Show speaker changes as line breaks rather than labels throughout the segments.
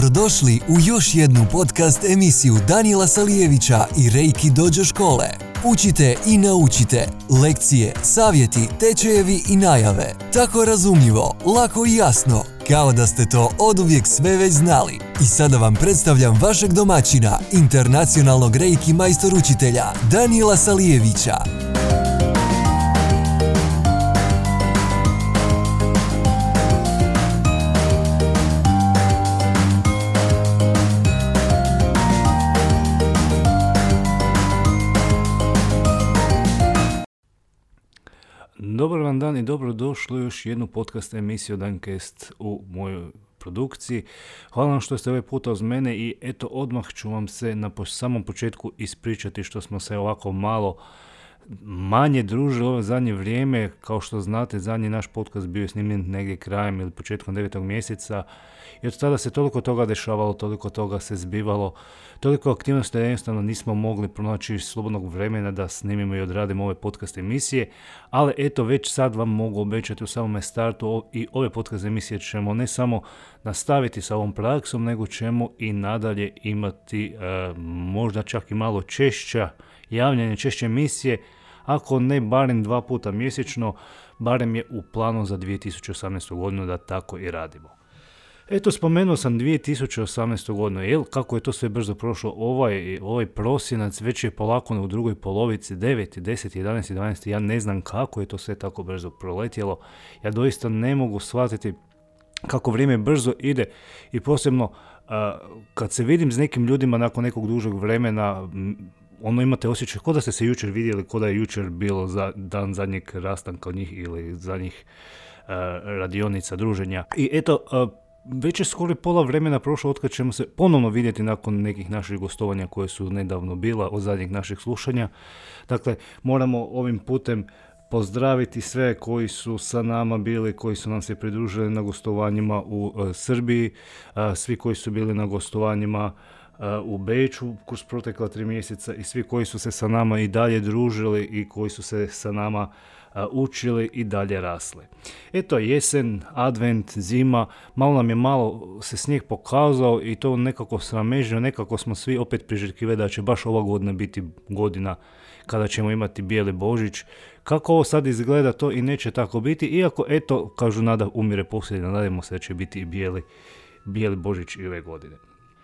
Dobrodošli u još jednu podcast emisiju Danijela Salijevića i Reiki Dojo škole. Učite i naučite. Lekcije, savjeti, tečajevi i najave. Tako razumljivo, lako i jasno, kao da ste to oduvijek sve već znali. I sada vam predstavljam vašeg domaćina, internacionalnog Reiki majstor učitelja, Danijela Salijevića.
Dobar vam dan i dobrodošli u još jednu podcast emisiju Dancast u mojoj produkciji. Hvala vam što ste ovaj puta uz mene i eto odmah ću vam se na samom početku ispričati što smo se ovako malo manje družili ovo zadnje vrijeme. Kao što znate, zadnji naš podcast bio je snimljen negdje krajem ili početkom 9. mjeseca i od tada se toliko toga dešavalo, toliko toga se zbivalo, toliko aktivnosti da jednostavno nismo mogli pronaći slobodnog vremena da snimimo i odradimo ove podcast emisije, ali eto već sad vam mogu obećati u samome startu i ove podcast emisije ćemo ne samo nastaviti sa ovom praksom, nego ćemo i nadalje imati možda čak i malo češća javljanje, češće emisije, ako ne barem 2 puta mjesečno, barem je u planu za 2018. godinu da tako i radimo. Eto, spomenuo sam 2018. godinu, kako je to sve brzo prošlo, ovaj prosinac već je polako u drugoj polovici, 9, 10, 11, 12, ja ne znam kako je to sve tako brzo proletjelo, ja doista ne mogu shvatiti kako vrijeme brzo ide i posebno kad se vidim s nekim ljudima nakon nekog dužeg vremena, imate osjećaj kao da ste se jučer vidjeli, kao da je jučer bilo dan zadnjeg rastanka od njih ili zadnjih radionica, druženja. I eto, već je skoro pola vremena prošlo otkad ćemo se ponovno vidjeti nakon nekih naših gostovanja koje su nedavno bila od zadnjih naših slušanja. Dakle, moramo ovim putem pozdraviti sve koji su sa nama bili, koji su nam se pridružili na gostovanjima u Srbiji, svi koji su bili na gostovanjima u Beču kroz protekla 3 mjeseca i svi koji su se sa nama i dalje družili i koji su se sa nama učili i dalje rasli. Eto, jesen, advent, zima, malo se snijeg pokazao i to nekako sramežno, nekako smo svi opet priželjkivali da će baš ova godina biti godina kada ćemo imati bijeli Božić. Kako ovo sad izgleda, to i neće tako biti, iako eto, kažu nada umire posljednja, nadajmo se da će biti i bijeli Božić i ove godine.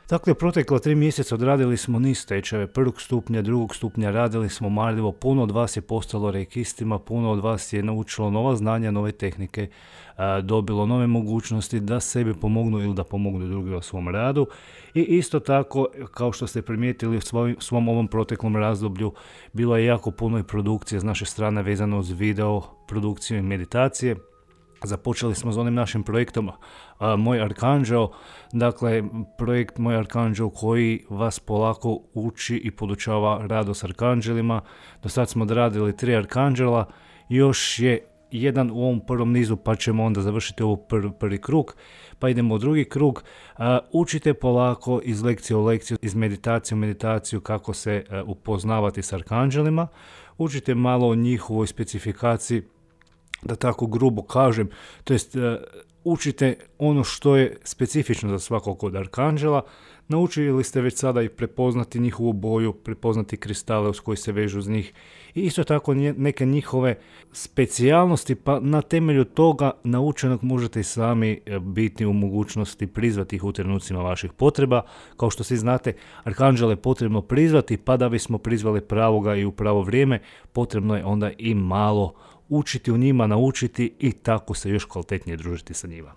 Dakle, protekla 3 mjeseca odradili smo niz tečajeva, 1. stupnja, 2. stupnja, radili smo marljivo, puno od vas je postalo reikistima, puno od vas je naučilo nova znanja, nove tehnike, dobilo nove mogućnosti da sebi pomognu ili da pomognu drugima u svom radu. I isto tako, kao što ste primijetili u svom ovom proteklom razdoblju, bilo je jako puno i produkcije s naše strane vezano uz video, produkciju i meditacije. Započeli smo s onim našim projektom Moj Arkanđel, dakle projekt Moj Arkanđel koji vas polako uči i podučava radu s arkanđelima. Do sad smo odradili 3 arkanđela, još je jedan u ovom prvom nizu pa ćemo onda završiti ovo prvi krug, pa idemo u drugi krug. Učite polako iz lekcije u lekciju, iz meditacije u meditaciju kako se upoznavati s arkanđelima, učite malo o njihovoj specifikaciji, da tako grubo kažem, to jest učite ono što je specifično za svakog od arkanđela. Naučili ste već sada i prepoznati njihovu boju, prepoznati kristale uz koji se vežu uz njih i isto tako neke njihove specijalnosti, pa na temelju toga naučenog možete i sami biti u mogućnosti prizvati ih u trenucima vaših potreba. Kao što svi znate, arkanđele je potrebno prizvati, pa da bismo prizvali pravoga i u pravo vrijeme, potrebno je onda i malo učiti u njima, naučiti i tako se još kvalitetnije družiti sa njima.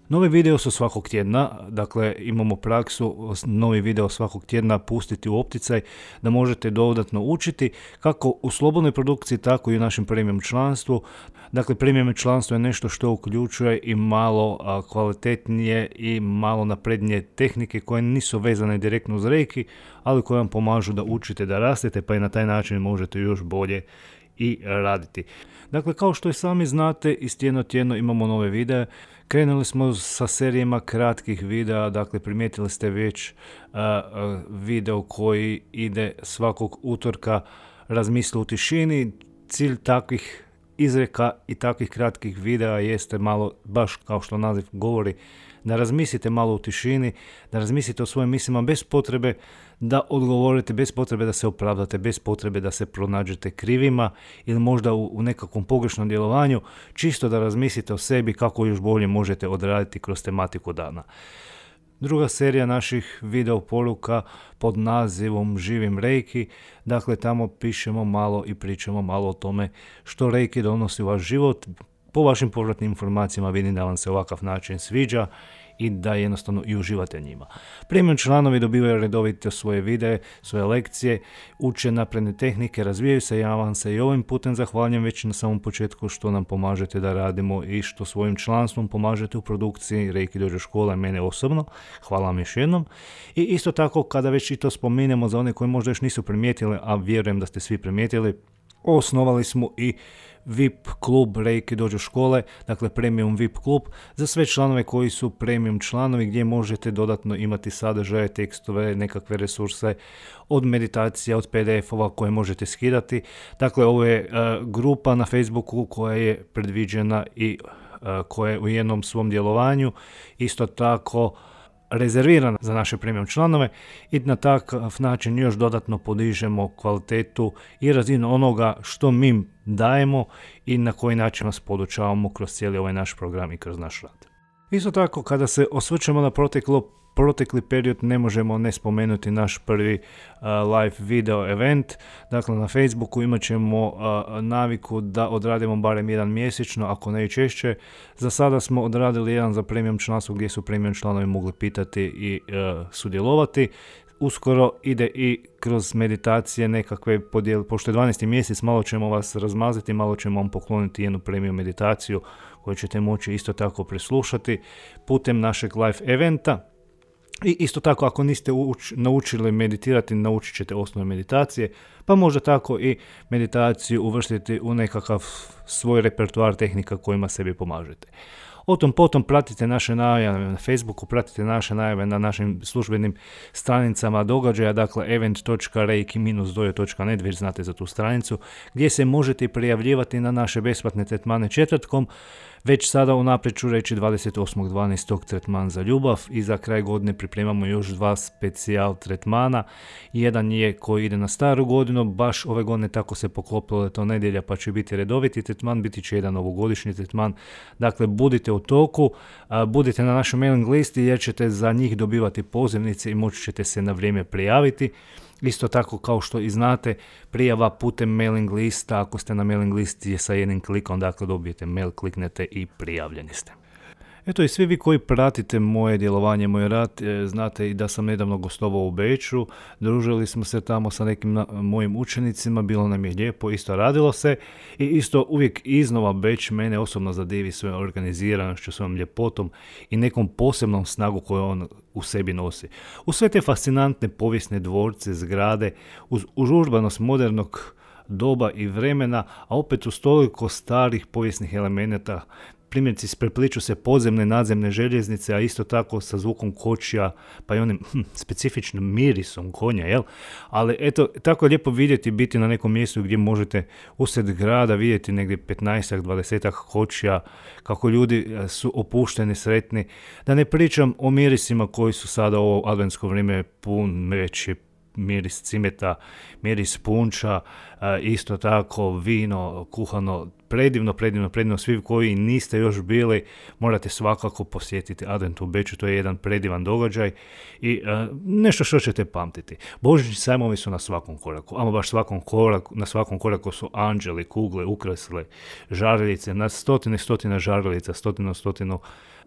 Novi video su svakog tjedna, dakle imamo praksu novi video svakog tjedna pustiti u opticaj da možete dodatno učiti kako u slobodnoj produkciji, tako i u našem premium članstvu. Dakle, premium članstvo je nešto što uključuje i malo kvalitetnije i malo naprednije tehnike koje nisu vezane direktno uz reiki, ali koje vam pomažu da učite, da rastete, pa i na taj način možete još bolje i raditi. Dakle, kao što i sami znate, iz tjedno imamo nove videe. Krenuli smo sa serijama kratkih videa, dakle primijetili ste već video koji ide svakog utorka, razmisli u tišini. Cilj takvih izreka i takvih kratkih videa jeste malo, baš kao što naziv govori, da razmislite malo u tišini, da razmislite o svojim mislima bez potrebe da odgovorite, bez potrebe da se opravdate, bez potrebe da se pronađete krivima ili možda u nekakvom pogrešnom djelovanju, čisto da razmislite o sebi kako još bolje možete odraditi kroz tematiku dana. Druga serija naših video poruka pod nazivom Živim Reiki, dakle tamo pišemo malo i pričamo malo o tome što Reiki donosi u vaš život. Po vašim povratnim informacijama vidim da vam se ovakav način sviđa i da jednostavno i uživate njima. Premium članovi dobivaju redovito svoje videe, svoje lekcije, uče napredne tehnike, razvijaju se, ja vam se i ovim putem zahvaljujem već na samom početku što nam pomažete da radimo i što svojim članstvom pomažete u produkciji Reiki Dojo škole, mene osobno. Hvala vam još jednom. I isto tako, kada već i to spominjemo za one koji možda još nisu primijetili, a vjerujem da ste svi primijetili, osnovali smo i VIP klub Reiki Dojo škole, dakle premium VIP klub za sve članove koji su premium članovi, gdje možete dodatno imati sadržaje, tekstove, nekakve resurse od meditacija, od PDF-ova koje možete skidati. Dakle, ovo je grupa na Facebooku koja je predviđena i koja je u jednom svom djelovanju isto tako rezervirana za naše premium članove i na takav način još dodatno podižemo kvalitetu i razinu onoga što mi dajemo i na koji način vas podučavamo kroz cijeli ovaj naš program i kroz naš rad. Isto tako, kada se osvrćemo na protekli period, ne možemo ne spomenuti naš prvi live video event. Dakle, na Facebooku imat ćemo naviku da odradimo barem jedan mjesečno, ako ne i češće. Za sada smo odradili jedan za premium članstvo gdje su premium članovi mogli pitati i sudjelovati. Uskoro ide i kroz meditacije nekakve podijel, pošto je 12. mjesec, malo ćemo vas razmaziti, malo ćemo vam pokloniti jednu premium meditaciju koju ćete moći isto tako preslušati putem našeg live eventa. I isto tako, ako niste naučili meditirati, naučit ćete osnove meditacije, pa možda tako i meditaciju uvrstiti u nekakav svoj repertoar tehnika kojima sebi pomažete. O tom potom pratite naše najave na Facebooku, pratite naše najave na našim službenim stranicama događaja, dakle event.reiki-dojo.net, već znate za tu stranicu, gdje se možete prijavljivati na naše besplatne tretmane četvrtkom. Već sada unaprijed ću reći 28.12. tretman za ljubav i za kraj godine pripremamo još 2 specijal tretmana. Jedan je koji ide na staru godinu, baš ove godine tako se poklopilo da je to nedjelja pa će biti redoviti tretman, biti će jedan novogodišnji tretman. Dakle, budite u toku, budite na našoj mailing listi jer ćete za njih dobivati pozivnice i moći ćete se na vrijeme prijaviti. Isto tako, kao što i znate, prijava putem mailing lista, ako ste na mailing listi je sa jednim klikom, dakle dobijete mail, kliknete i prijavljeni ste. Eto, i svi vi koji pratite moje djelovanje, moj rad, znate i da sam nedavno gostovao u Beču, družili smo se tamo sa nekim mojim učenicima, bilo nam je lijepo, isto radilo se i isto uvijek iznova Beč mene osobno zadivi svojom organiziranošću, svojom ljepotom i nekom posebnom snagu koju on u sebi nosi. U sve te fascinantne povijesne dvorce, zgrade, uz užurbanost modernog doba i vremena, a opet uz toliko starih povijesnih elemenata, primjerice isprepliču se podzemne, nadzemne željeznice, a isto tako sa zvukom kočija, pa i onim specifičnim mirisom konja, jel? Ali eto, tako je lijepo vidjeti, biti na nekom mjestu gdje možete usred grada vidjeti negdje 15-20 kočija, kako ljudi su opušteni, sretni. Da ne pričam o mirisima koji su sada u ovo adventsko vrijeme pun veći, miris cimeta, miris punča, isto tako vino, kuhano, predivno. Svi koji niste još bili, morate svakako posjetiti Advent u Beču, to je jedan predivan događaj i nešto što ćete pamtiti. Božićni sajmovi su na svakom koraku, ama baš na svakom koraku su anđeli, kugle, ukrasile, žaruljice, na stotine žaruljica, stotinu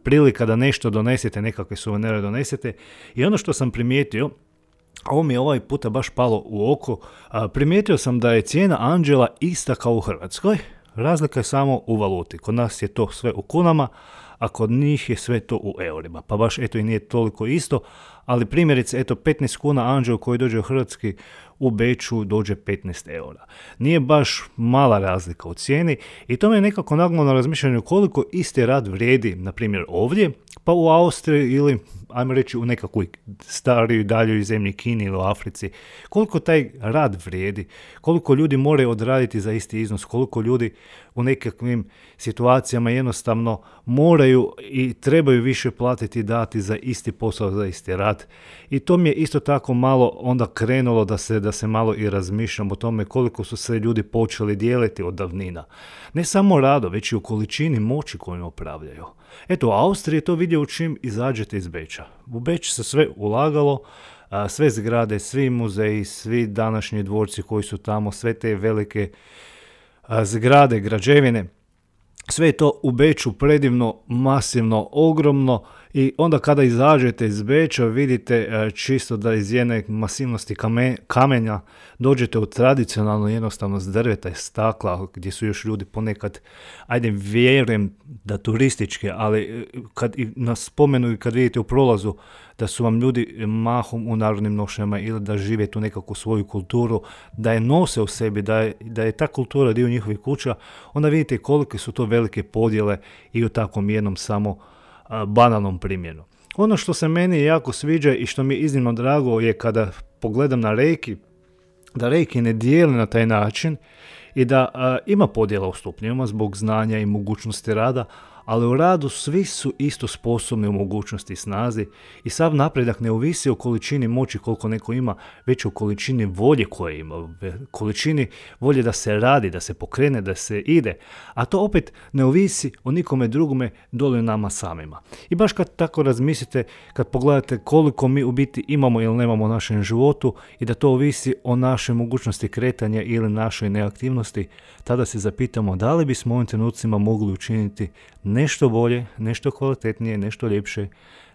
prilika da nešto donesete, nekakve suvenire donesete. I ono što sam primijetio, ovo mi je ovaj puta baš palo u oko, primijetio sam da je cijena anđela ista kao u Hrvatskoj, razlika je samo u valuti. Kod nas je to sve u kunama, a kod njih je sve to u eurima. Pa baš eto i nije toliko isto, ali primjerice eto 15 kuna anđel koji dođe u Hrvatski u Beču dođe 15 eura. Nije baš mala razlika u cijeni i to me je nekako naglo na razmišljanju koliko isti rad vrijedi, na primjer ovdje, pa u Austriji ili ajmo reći u nekakvoj starijoj daljoj zemlji, Kini ili u Africi, koliko taj rad vrijedi, koliko ljudi moraju odraditi za isti iznos, koliko ljudi u nekakvim situacijama jednostavno moraju i trebaju više platiti, dati za isti posao, za isti rad. I to mi je isto tako malo onda krenulo da se malo i razmišljam o tome koliko su se ljudi počeli dijeliti od davnina. Ne samo rado, već i u količini moći koju upravljaju. Eto, u Austriji je to vidio čim izađete iz Beča. U Beč se sve ulagalo, sve zgrade, svi muzeji, svi današnji dvorci koji su tamo, sve te velike zgrade, građevine, sve je to u Beču predivno, masivno, ogromno i onda kada izađete iz Beča vidite čisto da iz jedne masivnosti kamenja dođete u tradicionalnu jednostavnost drveta i stakla gdje su još ljudi ponekad, ajde vjerujem da turističke, ali kad nas spomenu i kad vidite u prolazu da su vam ljudi mahom u narodnim nošnjama ili da žive tu nekakvu svoju kulturu, da je nose u sebi, da je ta kultura dio njihovih kuća, onda vidite kolike su to velike podjele i u takvom jednom samo banalnom primjeru. Ono što se meni jako sviđa i što mi je iznimno drago je kada pogledam na Reiki, da Reiki ne dijeli na taj način i da ima podjela u stupnjevima zbog znanja i mogućnosti rada, ali u radu svi su isto sposobni u mogućnosti i snazi i sav napredak ne ovisi o količini moći koliko neko ima, već o količini volje koje ima, količini volje da se radi, da se pokrene, da se ide, a to opet ne ovisi o nikome drugome dole nama samima. I baš kad tako razmislite, kad pogledate koliko mi u biti imamo ili nemamo u našem životu i da to ovisi o našoj mogućnosti kretanja ili našoj neaktivnosti, tada se zapitamo da li bismo u ovim trenucima mogli učiniti nešto bolje, nešto kvalitetnije, nešto ljepše,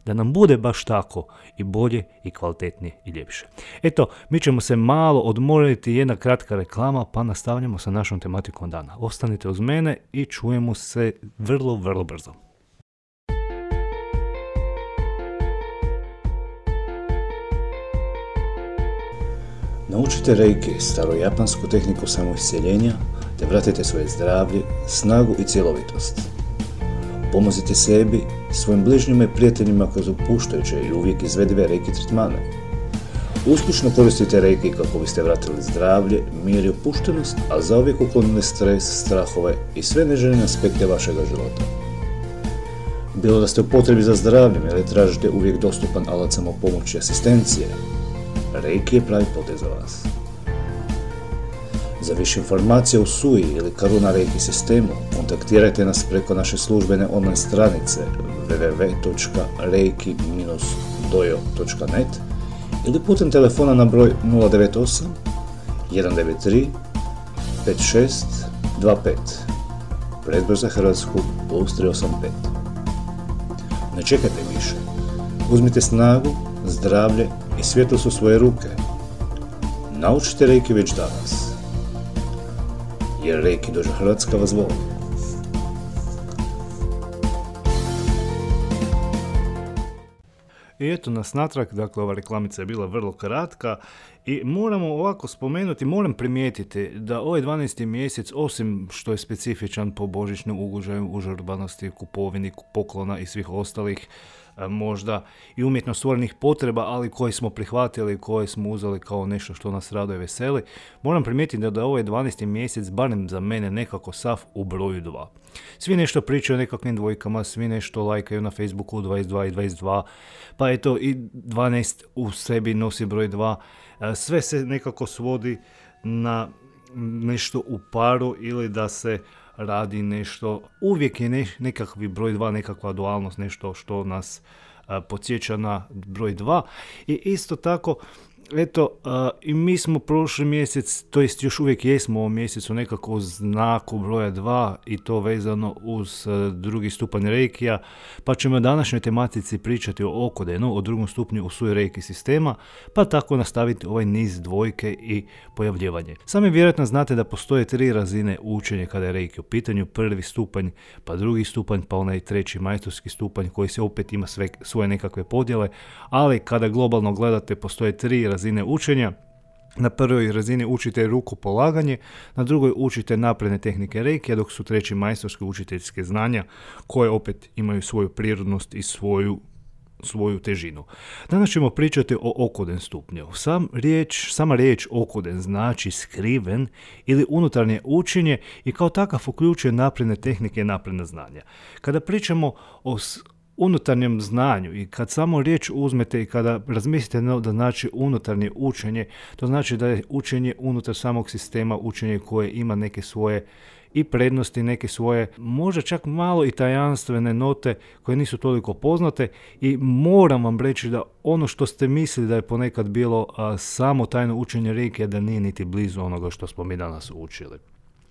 da nam bude baš tako i bolje i kvalitetnije i ljepše. Eto, mi ćemo se malo odmoriti, jedna kratka reklama, pa nastavljamo sa našom tematikom dana. Ostanite uz mene i čujemo se vrlo, vrlo brzo.
Naučite Reiki, starojapansku tehniku samoisceljenja, te vratite svoje zdravlje, snagu i cjelovitost. Pomozite sebi, svojim bližnjima i prijateljima kroz opuštajuće i uvijek izvedive Reiki tretmane. Uspješno koristite Reiki kako biste vratili zdravlje, mir i opuštenost, a zauvijek uklonili stres, strahove i sve neželjene aspekte vašega života. Bilo da ste u potrebi za zdravljem ili tražite uvijek dostupan alat samopomoći i asistencije, Reiki je pravi potez za vas. Za više informacija o Sui ili Karuna Reiki sistemu kontaktirajte nas preko naše službene online stranice www.reiki-dojo.net ili putem telefona na broj 098 193 5625, predbroj za Hrvatsku +385. Ne čekajte više. Uzmite snagu, zdravlje i svjetlost u svoje ruke. Naučite Reiki već danas. Jer Reiki Dojo Hrvatska vas voli.
I eto nas natrag, dakle ova reklamica je bila vrlo kratka i moramo ovako spomenuti, moram primijetiti da ovaj 12. mjesec, osim što je specifičan po božićnom ugođaju, užurbanosti, kupovini, poklona i svih ostalih možda i umjetno stvorenih potreba, ali koje smo prihvatili, koje smo uzeli kao nešto što nas raduje i veseli, moram primijetiti da je ovaj 12. mjesec, barem za mene, nekako sav u broju 2. Svi nešto pričaju o nekakvim dvojkama, svi nešto lajkaju na Facebooku 22 i 22, pa eto i 12 u sebi nosi broj 2. Sve se nekako svodi na nešto u paru ili da se radi nešto, uvijek je nekakvi broj 2, nekakva dualnost, nešto što nas podsjeća na broj 2. I isto tako, eto, i mi smo prošli mjesec, to jest još uvijek jesmo u ovom mjesecu nekako u znaku broja 2 i to vezano uz drugi stupanj Reikija, pa ćemo u današnjoj tematici pričati o Okodenu, o drugom stupnju u Sui Reiki sistema, pa tako nastaviti ovaj niz dvojke i pojavljivanje. Sami vjerojatno znate da postoje 3 razine učenja kada je Reiki u pitanju, prvi stupanj, pa drugi stupanj, pa onaj treći majstorski stupanj koji se opet ima svoje nekakve podjele, ali kada globalno gledate postoje 3 razine učenja. Na prvoj razini učite rukopolaganje, na drugoj učite napredne tehnike Reiki, dok su treći majstorske učiteljske znanja koje opet imaju svoju prirodnost i svoju svoju težinu. Danas ćemo pričati o Okoden stupnju. Sama riječ Okoden znači skriven ili unutarnje učenje i kao takav uključuje napredne tehnike i napredna znanja. Kada pričamo o unutarnjem znanju i kad samo riječ uzmete i kada razmislite da znači unutarnje učenje, to znači da je učenje unutar samog sistema, učenje koje ima neke svoje i prednosti, neke svoje, možda čak malo i tajanstvene note koje nisu toliko poznate i moram vam reći da ono što ste mislili da je ponekad bilo samo tajno učenje reikija, da nije niti blizu onoga što smo mi danas učili.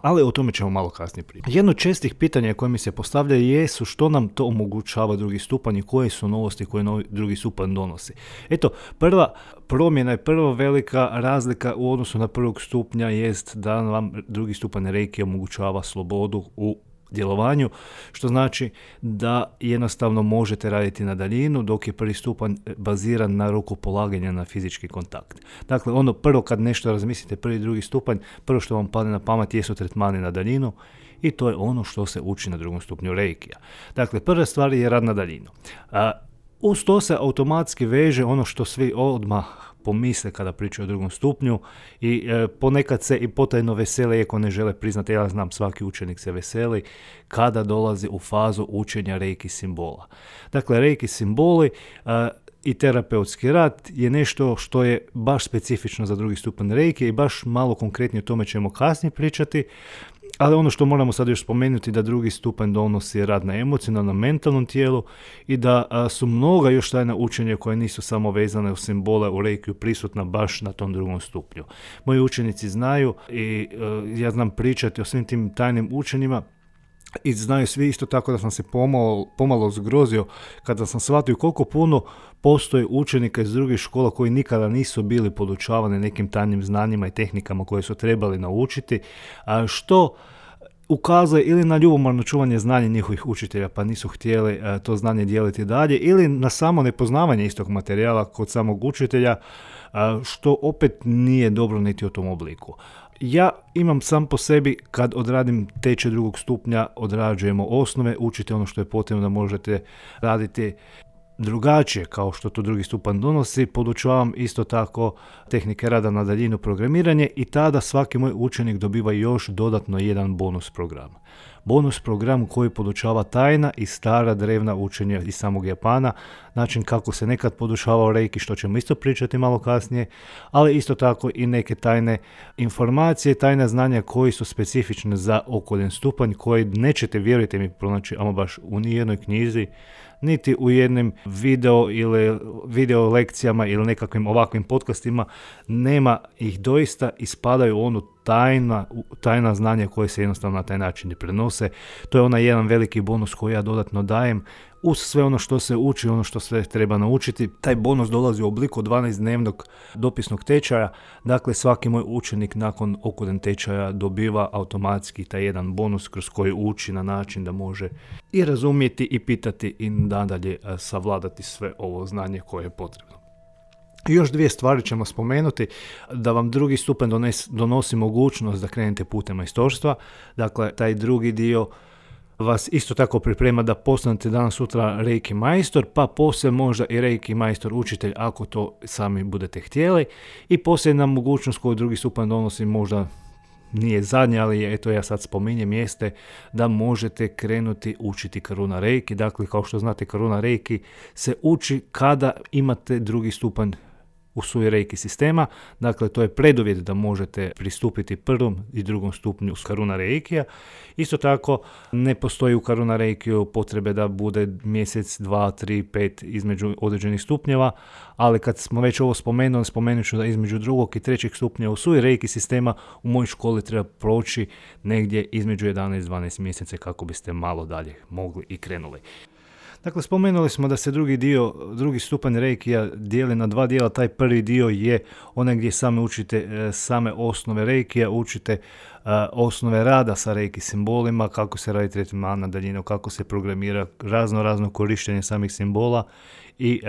Ali o tome ćemo malo kasnije pričati. Jedno od čestih pitanja koje mi se postavlja jesu što nam to omogućava drugi stupanj i koje su novosti koje drugi stupanj donosi. Eto, prva promjena i prva velika razlika u odnosu na prvog stupnja jest da vam drugi stupanj reiki omogućava slobodu u djelovanju, što znači da jednostavno možete raditi na daljinu, dok je prvi stupanj baziran na rukopolaganja, na fizički kontakt. Dakle, ono prvo kad nešto razmislite, prvi i drugi stupanj, prvo što vam padne na pamet jesu tretmani na daljinu i to je ono što se uči na drugom stupnju reikija. Dakle, prva stvar je rad na daljinu. Uz to se automatski veže ono što svi odmah pomisle kada pričaju o drugom stupnju i ponekad se i potajno vesele, iako ne žele priznati, ja znam svaki učenik se veseli kada dolazi u fazu učenja reiki simbola. Dakle, reiki simboli i terapeutski rad je nešto što je baš specifično za drugi stupanj reiki i baš malo konkretnije o tome ćemo kasnije pričati. Ali ono što moramo sad još spomenuti da drugi stupanj donosi rad na emocionalnom, mentalnom tijelu i da su mnoga još tajna učenja koje nisu samo vezane u simbole u reikiju prisutna baš na tom drugom stupnju. Moji učenici znaju i ja znam pričati o svim tim tajnim učenjima i znaju svi isto tako da sam se pomalo zgrozio kada sam shvatio koliko puno postoji učenika iz drugih škola koji nikada nisu bili podučavani nekim tajnim znanjima i tehnikama koje su trebali naučiti, što ukazuje ili na ljubomorno čuvanje znanja njihovih učitelja pa nisu htjeli to znanje dijeliti dalje, ili na samo nepoznavanje istog materijala kod samog učitelja, što opet nije dobro niti u tom obliku. Ja imam sam po sebi, kad odradim tečaj drugog stupnja, odrađujemo osnove, učite ono što je potrebno da možete raditi drugačije kao što to drugi stupanj donosi, podučavam isto tako tehnike rada na daljinu, programiranje i tada svaki moj učenik dobiva još dodatno jedan bonus program. Bonus program koji podučava tajna i stara drevna učenja iz samog Japana, način kako se nekad podučavao reiki, što ćemo isto pričati malo kasnije, ali isto tako i neke tajne informacije, tajna znanja koji su specifične za Okoden stupanj, koji nećete, vjerujte mi, pronaći ama baš u nijednoj knjizi, niti u jednim video lekcijama ili nekakvim ovakvim podcastima. Nema ih doista, ispadaju onu tajna znanja koje se jednostavno na taj način ne prenose. To je onaj jedan veliki bonus koji ja dodatno dajem uz sve ono što se uči, ono što sve treba naučiti. Taj bonus dolazi u obliku 12-dnevnog dopisnog tečaja, dakle svaki moj učenik nakon Okoden tečaja dobiva automatski taj jedan bonus kroz koji uči na način da može i razumjeti i pitati i nadalje savladati sve ovo znanje koje je potrebno. Još dvije stvari ćemo spomenuti, da vam drugi stupanj donosi mogućnost da krenete putem majstorstva, dakle taj drugi dio vas isto tako priprema da postanete danas sutra reiki majstor, pa poslije možda i reiki majstor učitelj ako to sami budete htjeli, i posljedna mogućnost koju drugi stupanj donosi, možda nije zadnja, ali eto ja sad spominjem, jeste da možete krenuti učiti Karuna reiki. Dakle, kao što znate, Karuna reiki se uči kada imate drugi stupanj u svoj reiki sistema, dakle to je preduvjet da možete pristupiti prvom i drugom stupnju Karuna reikija. Isto tako ne postoji u Karuna reikiju potrebe da bude mjesec, 2, 3, 5 između određenih stupnjeva, ali kad smo već ovo spomenuli, spomenut ću da između drugog i trećeg stupnja u svoj reiki sistema u mojoj školi treba proći negdje između 11 i 12 mjeseca kako biste malo dalje mogli i krenuli. Dakle, spomenuli smo da se drugi stupanj reikija dijeli na dva dijela. Taj prvi dio je onaj gdje same učite same osnove reikija, učite osnove rada sa reiki simbolima, kako se radi tretman na daljinu, kako se programira, razno korištenje samih simbola i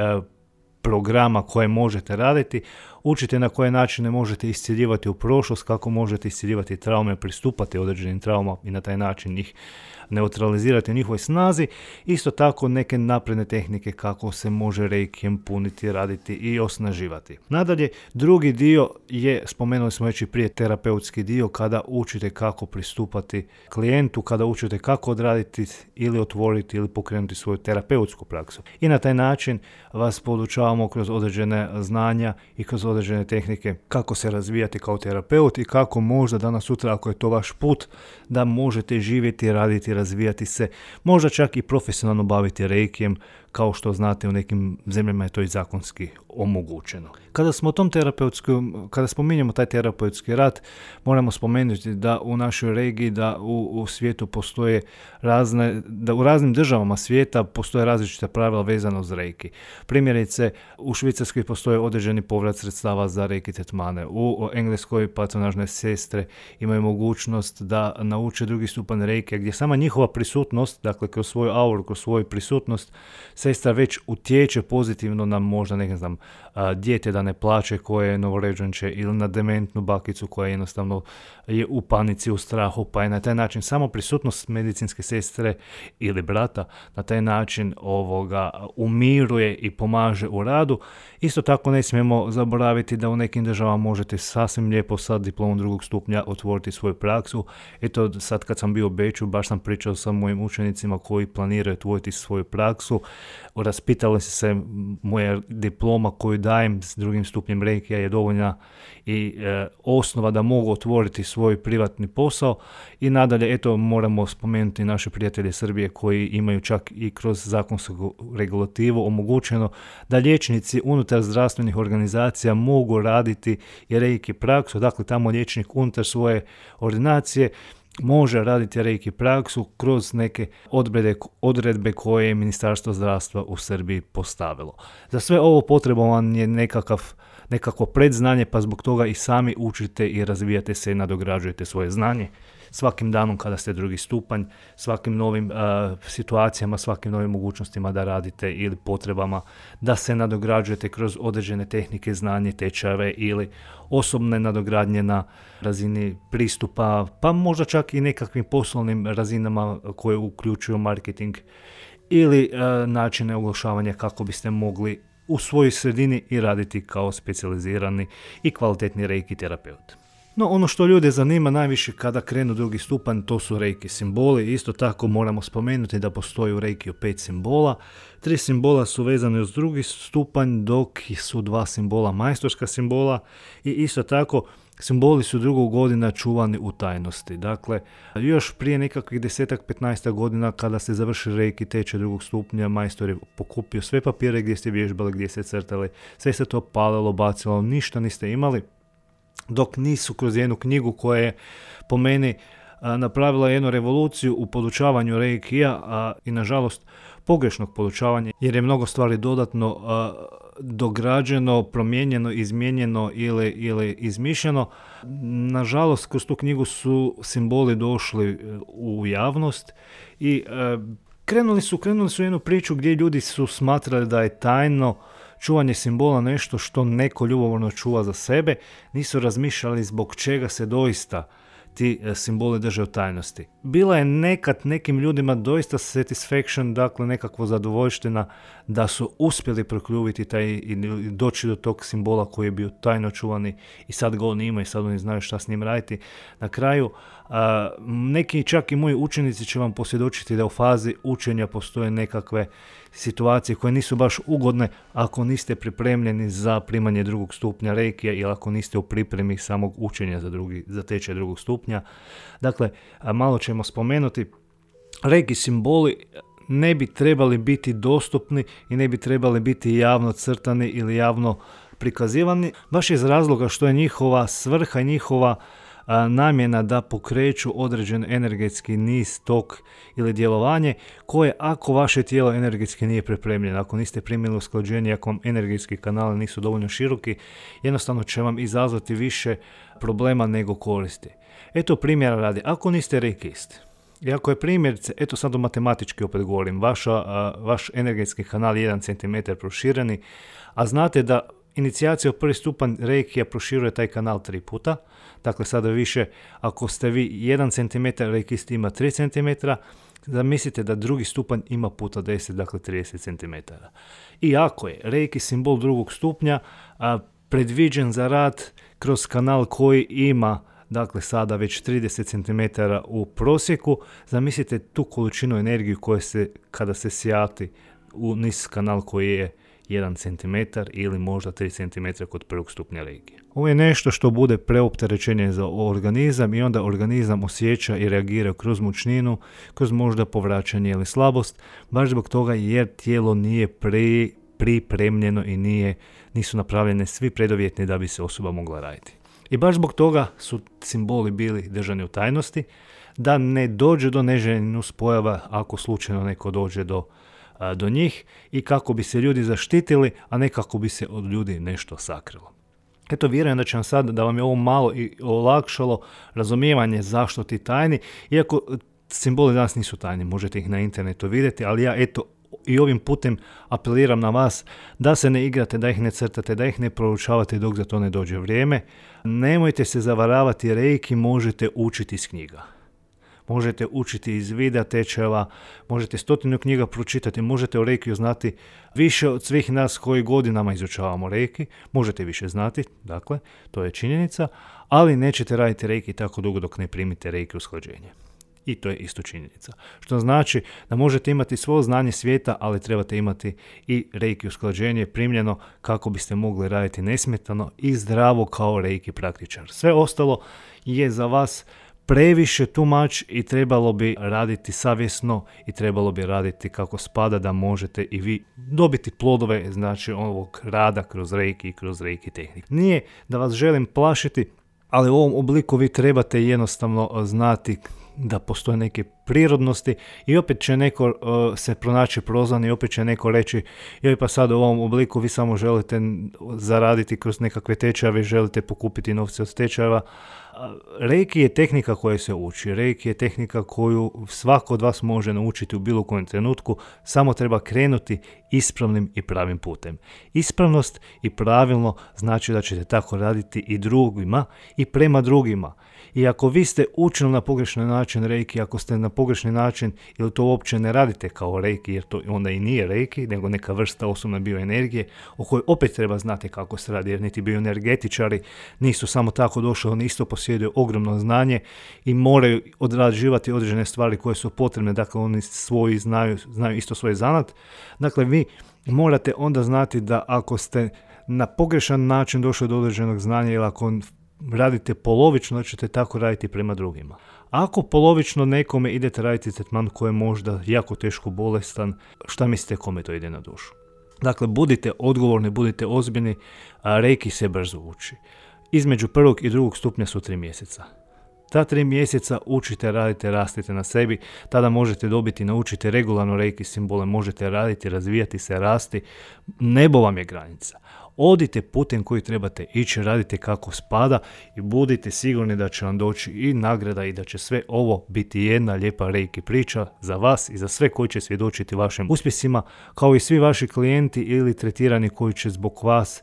programa koje možete raditi. učite na koje načine možete iscijeljivati u prošlost, kako možete iscijeljivati traume, pristupati određenim traumama i na taj način ih neutralizirati u njihovoj snazi. Isto tako neke napredne tehnike kako se može reikijem puniti, raditi i osnaživati. Nadalje, drugi dio je, spomenuli smo već i prije, terapeutski dio, kada učite kako pristupati klijentu, kada učite kako odraditi ili otvoriti ili pokrenuti svoju terapeutsku praksu. I na taj način vas podučavamo kroz određene znanja i kroz određene tehnike kako se razvijati kao terapeut i kako možda danas sutra, ako je to vaš put, da možete živjeti, raditi, razvijati se, možda čak i profesionalno baviti reikijem, kao što znate u nekim zemljama je to i zakonski omogućeno. Kada spominjemo taj terapeutski rad, moramo spomenuti da u našoj regiji, da u svijetu postoje da u raznim državama svijeta postoje različita pravila vezana uz reiki. Primjerice, u Švicarskoj postoje određeni povrat sredstava za reiki tretmane. U Engleskoj patronažne sestre imaju mogućnost da nauče drugi stupanj reiki, gdje sama njihova prisutnost, dakle kroz svoju auru, kroz svoju prisutnost, sestra već utječe pozitivno na možda, dijete da ne plače koje je novorođenče ili na dementnu bakicu koja jednostavno je u panici, u strahu, pa je na taj način samo prisutnost medicinske sestre ili brata na taj način umiruje i pomaže u radu. Isto tako ne smijemo zaboraviti da u nekim državama možete sasvim lijepo sa diplomom drugog stupnja otvoriti svoju praksu. Eto, sad kad sam bio u Beču, baš sam pričao sa mojim učenicima koji planiraju otvoriti svoju praksu. Raspitali se moja diploma koju dajem s drugim stupnjem reikija je dovoljna i osnova da mogu otvoriti svoj privatni posao. I nadalje, eto, moramo spomenuti naše prijatelje Srbije koji imaju čak i kroz zakonsku regulativu omogućeno da liječnici unutar zdravstvenih organizacija mogu raditi i reiki praksu. Dakle, tamo liječnik unutar svoje ordinacije može raditi reiki praksu kroz neke odredbe koje je Ministarstvo zdravstva u Srbiji postavilo. Za sve ovo potreban je nekakvo predznanje, pa zbog toga i sami učite i razvijate se i nadograđujete svoje znanje. Svakim danom kada ste drugi stupanj, svakim novim situacijama, svakim novim mogućnostima da radite ili potrebama da se nadograđujete kroz određene tehnike, znanje, tečajeve ili osobne nadogradnje na razini pristupa, pa možda čak i nekakvim poslovnim razinama koje uključuju marketing ili načine oglašavanja kako biste mogli u svojoj sredini i raditi kao specijalizirani i kvalitetni reiki terapeut. No, ono što ljude zanima najviše kada krenu drugi stupanj, to su reiki simboli. Isto tako moramo spomenuti da postoji u reikiju 5 simbola. 3 simbola su vezane uz drugi stupanj, dok su 2 simbola majstorska simbola i isto tako simboli su dugo godina čuvani u tajnosti. Dakle, još prije nekakvih 10-15 godina kada ste završili reiki tečaj drugog stupnja, majstor je pokupio sve papire gdje ste vježbali, gdje ste crtali, sve se to palilo, bacilo, ništa niste imali, dok nisu kroz jednu knjigu koja je po meni napravila jednu revoluciju u podučavanju reikija i nažalost pogrešnog podučavanja, jer je mnogo stvari dodatno dograđeno, promijenjeno, izmijenjeno ili izmišljeno. Nažalost, kroz tu knjigu su simboli došli u javnost i krenuli su jednu priču gdje ljudi su smatrali da je tajno čuvanje simbola nešto što neko ljubomorno čuva za sebe, nisu razmišljali zbog čega se doista ti simboli drže u tajnosti. Bila je nekad nekim ljudima doista satisfaction, dakle nekakvo zadovoljština da su uspjeli prokljuviti taj i doći do tog simbola koji je bio tajno čuvani i sad ga oni imaju i sad oni znaju šta s njim raditi. Na kraju, neki čak i moji učenici će vam posvjedočiti da u fazi učenja postoje nekakve situacije koje nisu baš ugodne ako niste pripremljeni za primanje drugog stupnja reikija ili ako niste u pripremi samog učenja za tečaj drugog stupnja. Dakle, malo ćemo spomenuti, reiki simboli ne bi trebali biti dostupni i ne bi trebali biti javno crtani ili javno prikazivani, baš iz razloga što je njihova svrha i njihova namjena da pokreću određen energetski niz, tok ili djelovanje koje ako vaše tijelo energetski nije pripremljeno, ako niste primili usklađenje, ako vam energetski kanali nisu dovoljno široki, jednostavno će vam izazvati više problema nego koristi. Eto primjera radi, ako niste reikist, i ako je primjerice, eto sad matematički opet govorim, vaš energetski kanal je 1 cm prošireni, a znate da inicijacija u prvi stupanj reikija proširuje taj kanal 3 puta. Dakle, sada više, ako ste vi 1 cm, reikist ima 3 cm, zamislite da drugi stupanj ima puta 10, dakle 30 cm. I ako je reiki simbol drugog stupnja predviđen za rad kroz kanal koji ima, dakle sada već 30 cm u prosjeku, zamislite tu količinu energije koja se, kada se sjati u niz kanal koji je 1 cm ili možda 3 cm kod prvog stupnja reiki. Ovo je nešto što bude preopterećenje za organizam i onda organizam osjeća i reagira kroz mučninu, kroz možda povraćanje ili slabost, baš zbog toga jer tijelo nije pripremljeno i nisu napravljene svi preduvjeti da bi se osoba mogla raditi. I baš zbog toga su simboli bili držani u tajnosti, da ne dođe do neželjenih nuspojava ako slučajno neko dođe do njih i kako bi se ljudi zaštitili, a ne kako bi se od ljudi nešto sakrilo. Eto, vjerujem da će vam sad, da vam je ovo malo i olakšalo razumijevanje zašto ti tajni, iako simboli danas nisu tajni, možete ih na internetu vidjeti, ali ja eto i ovim putem apeliram na vas da se ne igrate, da ih ne crtate, da ih ne proučavate dok za to ne dođe vrijeme. Nemojte se zavaravati, reiki možete učiti iz knjiga. Možete učiti iz videa tečajeva, možete 100 knjiga pročitati, možete o reikiju znati više od svih nas koji godinama izučavamo reiki, možete više znati, dakle, to je činjenica, ali nećete raditi reiki tako dugo dok ne primite reiki usklađenje. I to je isto činjenica. Što znači da možete imati svo znanje svijeta, ali trebate imati i reiki usklađenje primljeno kako biste mogli raditi nesmetano i zdravo kao reiki praktičar. Sve ostalo je za vas previše too much i trebalo bi raditi savjesno i trebalo bi raditi kako spada da možete i vi dobiti plodove, znači ovog rada kroz reiki i kroz reiki tehnik. Nije da vas želim plašiti, ali u ovom obliku vi trebate jednostavno znati da postoje neke prirodnosti i opet će neko se pronaći prozvan i opet će neko reći joj pa sad u ovom obliku vi samo želite zaraditi kroz nekakve tečajeve, želite pokupiti novce od tečajeva. Reiki je tehnika koja se uči, reiki je tehnika koju svako od vas može naučiti u bilo kojem trenutku, samo treba krenuti ispravnim i pravim putem. Ispravnost i pravilno znači da ćete tako raditi i drugima i prema drugima. I ako vi ste učili na pogrešan način reiki, ako ste na pogrešni način ili to uopće ne radite kao reiki, jer to onda i nije reiki, nego neka vrsta osobne bioenergije, o kojoj opet treba znati kako se radi, jer niti bioenergetičari nisu samo tako došli, oni isto posjeduju ogromno znanje i moraju odrađivati određene stvari koje su potrebne, dakle oni svoji znaju isto svoj zanat. Dakle, vi morate onda znati da ako ste na pogrešan način došli do određenog znanja ili ako radite polovično, ćete tako raditi prema drugima. Ako polovično nekome idete raditi tretman koji je možda jako teško bolestan, šta mislite kome to ide na dušu? Dakle, budite odgovorni, budite ozbiljni, a reiki se brzo uči. Između prvog i drugog stupnja su 3 mjeseca. Ta 3 mjeseca učite, radite, rastite na sebi, tada možete dobiti, naučite regularno reiki simbole, možete raditi, razvijati se, rasti, nebo vam je granica. Odite putem koji trebate ići, radite kako spada i budite sigurni da će vam doći i nagrada i da će sve ovo biti jedna lijepa reiki priča za vas i za sve koji će svjedočiti vašim uspjesima, kao i svi vaši klijenti ili tretirani koji će zbog vas,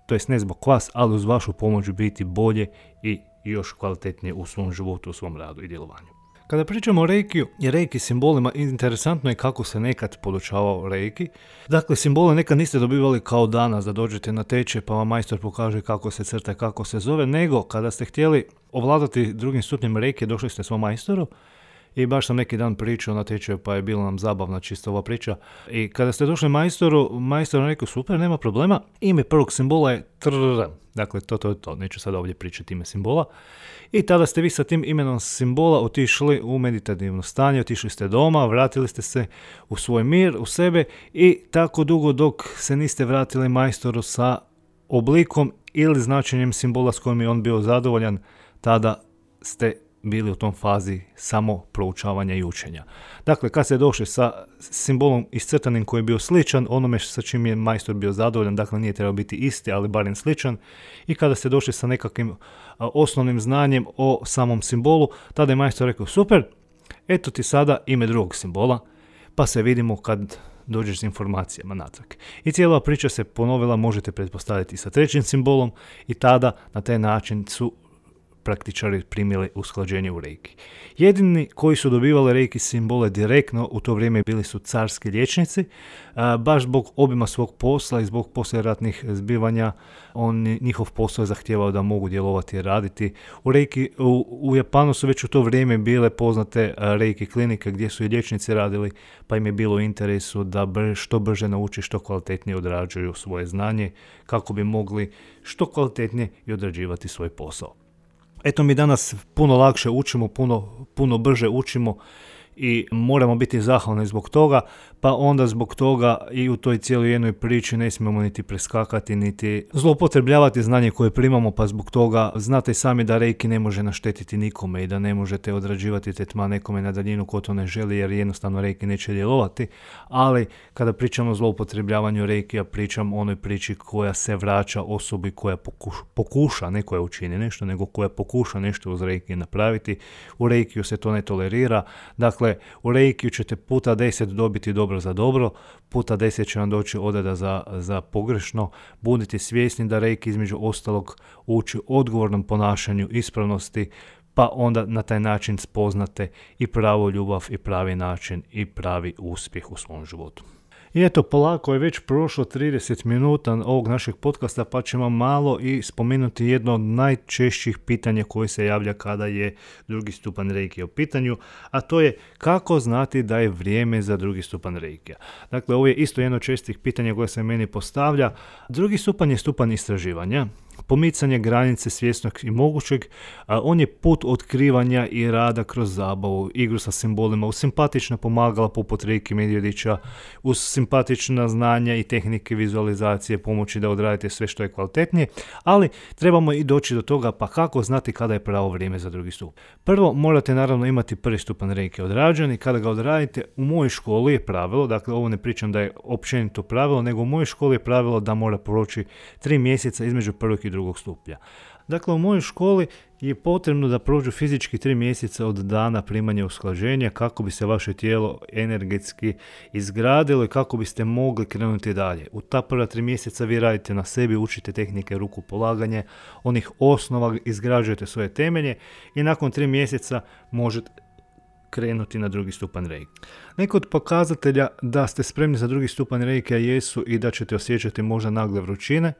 to jest ne zbog vas, ali uz vašu pomoć biti bolje i još kvalitetnije u svom životu, u svom radu i djelovanju. Kada pričamo o reikiju i reiki simbolima, interesantno je kako se nekad podučavao reiki. Dakle, simbole nekad niste dobivali kao danas da dođete na tečaj pa vam majstor pokaže kako se crta, kako se zove, nego kada ste htjeli ovladati drugim stupnjem reiki, došli ste svom majstoru i baš sam neki dan pričao na tečaju pa je bilo nam zabavna čisto ova priča. I kada ste došli majstoru, majstor je rekao super, nema problema, ime prvog simbola je trrrr. Dakle, to, neću sad ovdje pričati ime simbola. I tada ste vi sa tim imenom simbola otišli u meditativno stanje, otišli ste doma, vratili ste se u svoj mir, u sebe i tako dugo dok se niste vratili majstoru sa oblikom ili značenjem simbola s kojim je on bio zadovoljan, tada ste bili u tom fazi samo proučavanja i učenja. Dakle, kad ste došli sa simbolom iscrtanim koji je bio sličan onome sa čim je majstor bio zadovoljan, dakle nije trebao biti isti, ali barem sličan, i kada ste došli sa nekakvim osnovnim znanjem o samom simbolu, tada je majstor rekao super, eto ti sada ime drugog simbola, pa se vidimo kad dođeš s informacijama natrag. I cijela priča se ponovila, možete pretpostaviti, sa trećim simbolom i tada na taj način su praktičari primili usklađenje u reiki. Jedini koji su dobivali reiki simbole direktno u to vrijeme bili su carski liječnici, baš zbog obima svog posla i zbog poslijeratnih zbivanja. Njihov posao je zahtijevao da mogu djelovati i raditi. U Japanu su već u to vrijeme bile poznate reiki klinike gdje su i liječnici radili, pa im je bilo u interesu da što brže nauči, što kvalitetnije odrađuju svoje znanje kako bi mogli što kvalitetnije i odrađivati svoj posao. Eto, mi danas puno lakše učimo, puno brže učimo i moramo biti zahvalni zbog toga, pa onda zbog toga i u toj cijeloj jednoj priči ne smijemo niti preskakati, niti zloupotrebljavati znanje koje primamo, pa zbog toga znate sami da reiki ne može naštetiti nikome i da ne možete odrađivati tretman nekome na daljinu ko to ne želi, jer jednostavno reiki neće djelovati, ali kada pričamo o zloupotrebljavanju reikija, pričam o onoj priči koja se vraća osobi koja pokuša, ne koja učini nešto, nego koja pokuša nešto uz reiki napraviti. U reikiju se to ne tolerira, dakle u reikiju ćete puta 10 dobiti dobro za dobro, puta 10 će vam doći odreda za pogrešno. Budite svjesni da reiki između ostalog uči odgovornom ponašanju, ispravnosti, pa onda na taj način spoznate i pravu ljubav i pravi način i pravi uspjeh u svom životu. I eto, polako je već prošlo 30 minuta ovog našeg podcasta, pa ćemo malo i spomenuti jedno od najčešćih pitanja koje se javlja kada je drugi stupanj reikija u pitanju, a to je kako znati da je vrijeme za drugi stupanj reikija. Dakle, ovo je isto jedno od čestih pitanja koje se meni postavlja. Drugi stupanj je stupanj istraživanja, pomicanje granice svjesnog i mogućeg, on je put otkrivanja i rada kroz zabavu, igru sa simbolima, uz simpatična pomagala poput Reiki Medvjedića, uz simpatična znanja i tehnike vizualizacije pomoći da odradite sve što je kvalitetnije, ali trebamo i doći do toga pa kako znati kada je pravo vrijeme za drugi stupanj. Prvo morate naravno imati prvi stupanj reiki odrađen i kada ga odradite, u mojoj školi je pravilo, dakle ovo ne pričam da je općenito pravilo, nego u mojoj školi je pravilo da mora proći 3 mjeseca između prvog i drugog stupnja. Dakle, u mojoj školi je potrebno da prođu fizički 3 mjeseca od dana primanja usklađenja kako bi se vaše tijelo energetski izgradilo i kako biste mogli krenuti dalje. U ta prva 3 mjeseca vi radite na sebi, učite tehnike ruku polaganja, onih osnova, izgrađujete svoje temelje i nakon 3 mjeseca možete krenuti na drugi stupanj reiki. Neki od pokazatelja da ste spremni za drugi stupanj reikija jesu i da ćete osjećati možda nagle vrućine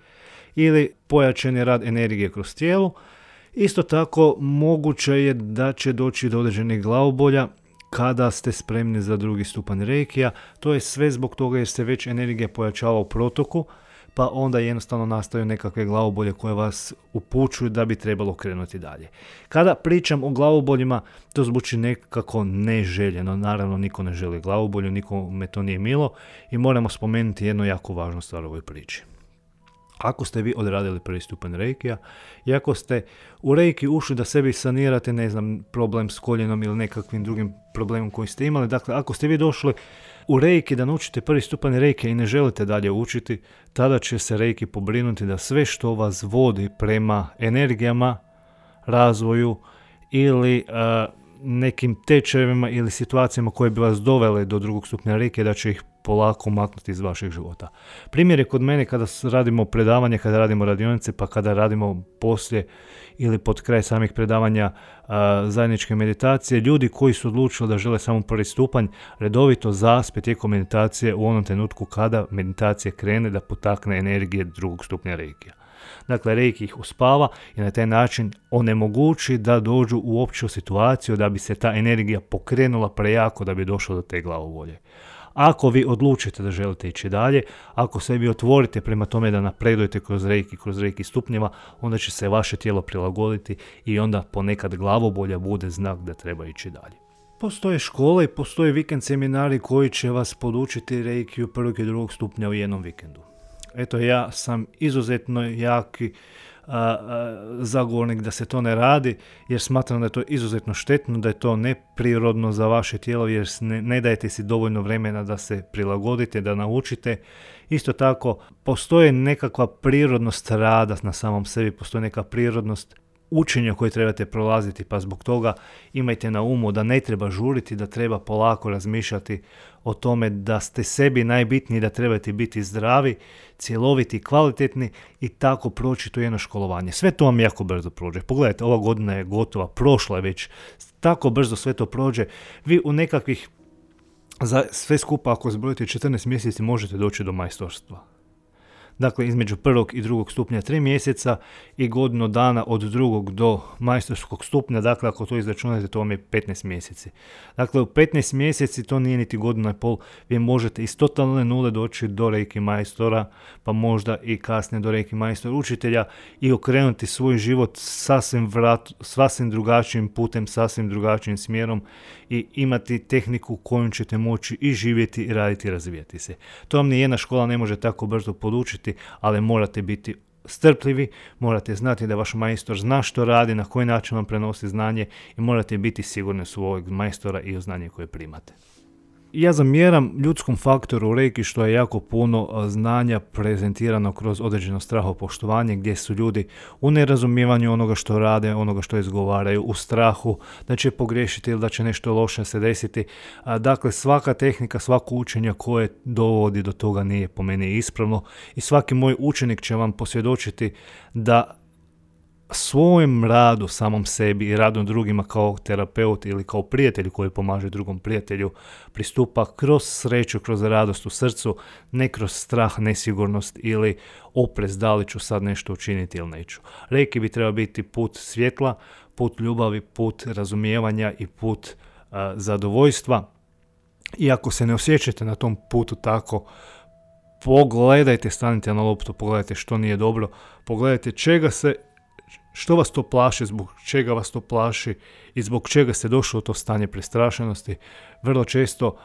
ili pojačani rad energije kroz tijelo. Isto tako moguće je da će doći do određenih glavobolja kada ste spremni za drugi stupanj reikija. To je sve zbog toga jer se već energija pojačava u protoku, pa onda jednostavno nastaju nekakve glavobolje koje vas upućuju da bi trebalo krenuti dalje. Kada pričam o glavoboljima, to zvuči nekako neželjeno. Naravno, niko ne želi glavobolju, nikome to nije milo i moramo spomenuti jednu jako važnu stvar u ovoj priči. Ako ste vi odradili prvi stupanj reikija i ako ste u reiki ušli da sebi sanirate, problem s koljenom ili nekakvim drugim problemom koji ste imali, dakle ako ste vi došli u reiki da naučite prvi stupanj reikija i ne želite dalje učiti, tada će se reiki pobrinuti da sve što vas vodi prema energijama, razvoju ili nekim tečajevima ili situacijama koje bi vas dovele do drugog stupnja reikija, da će ih polako maknuti iz vašeg života. Primjer je kod mene kada radimo predavanje, kada radimo radionice, pa kada radimo poslije ili pod kraj samih predavanja zajedničke meditacije, ljudi koji su odlučili da žele samo prvi stupanj, redovito zaspe tijekom meditacije u onom trenutku kada meditacija krene da potakne energije drugog stupnja reikija. Dakle, reiki ih uspava i na taj način onemogući da dođu uopće u situaciju da bi se ta energija pokrenula prejako da bi došlo do te glavobolje. Ako vi odlučite da želite ići dalje, ako se vi otvorite prema tome da napredujete kroz reiki stupnjeva, onda će se vaše tijelo prilagoditi i onda ponekad glavobolja bude znak da treba ići dalje. Postoje škole i postoje vikend seminari koji će vas podučiti reikiju prvog i drugog stupnja u jednom vikendu. Eto, ja sam izuzetno jaki zagovornik da se to ne radi, jer smatram da je to izuzetno štetno, da je to neprirodno za vaše tijelo, jer ne dajete si dovoljno vremena da se prilagodite, da naučite. Isto tako, postoji nekakva prirodnost rada na samom sebi, postoji neka prirodnost učenja koje trebate prolaziti, pa zbog toga imajte na umu da ne treba žuriti, da treba polako razmišljati o tome da ste sebi najbitniji, da trebate biti zdravi, cjeloviti, kvalitetni i tako proći to jedno školovanje. Sve to vam jako brzo prođe. Pogledajte, ova godina je gotova, prošla je već, tako brzo sve to prođe. Vi u nekakvih, za sve skupa ako zbrojite 14 mjeseci možete doći do majstorstva. Dakle, između prvog i drugog stupnja 3 mjeseca i godinu dana od drugog do majstorskog stupnja, dakle ako to izračunate to vam je 15 mjeseci. Dakle, u 15 mjeseci to nije niti godina i pol, vi možete iz totalne nule doći do reiki majstora, pa možda i kasnije do reiki majstora učitelja i okrenuti svoj život sasvim drugačijim putem, sasvim drugačijim smjerom i imati tehniku kojom ćete moći i živjeti i raditi i razvijati se. To vam nijedna škola ne može tako brzo podučiti, ali morate biti strpljivi, morate znati da vaš majstor zna što radi, na koji način vam prenosi znanje i morate biti sigurni u svojeg majstora i u znanje koje primate. Ja zamjeram ljudskom faktoru u reiki što je jako puno znanja prezentirano kroz određeno strahopoštovanje gdje su ljudi u nerazumijevanju onoga što rade, onoga što izgovaraju, u strahu da će pogriješiti ili da će nešto loše se desiti. Dakle, svaka tehnika, svako učenje koje dovodi do toga nije po meni ispravno i svaki moj učenik će vam posvjedočiti da svojim radu samom sebi i radom drugima kao terapeut ili kao prijatelj koji pomaže drugom prijatelju pristupa kroz sreću, kroz radost u srcu, ne kroz strah, nesigurnost ili oprez da li ću sad nešto učiniti ili neću. Reiki bi trebao biti put svjetla, put ljubavi, put razumijevanja i put zadovoljstva. I ako se ne osjećate na tom putu tako, pogledajte, stanite na loptu, pogledajte što nije dobro, pogledajte što vas to plaši, zbog čega vas to plaši i zbog čega se došlo u to stanje prestrašenosti. Vrlo često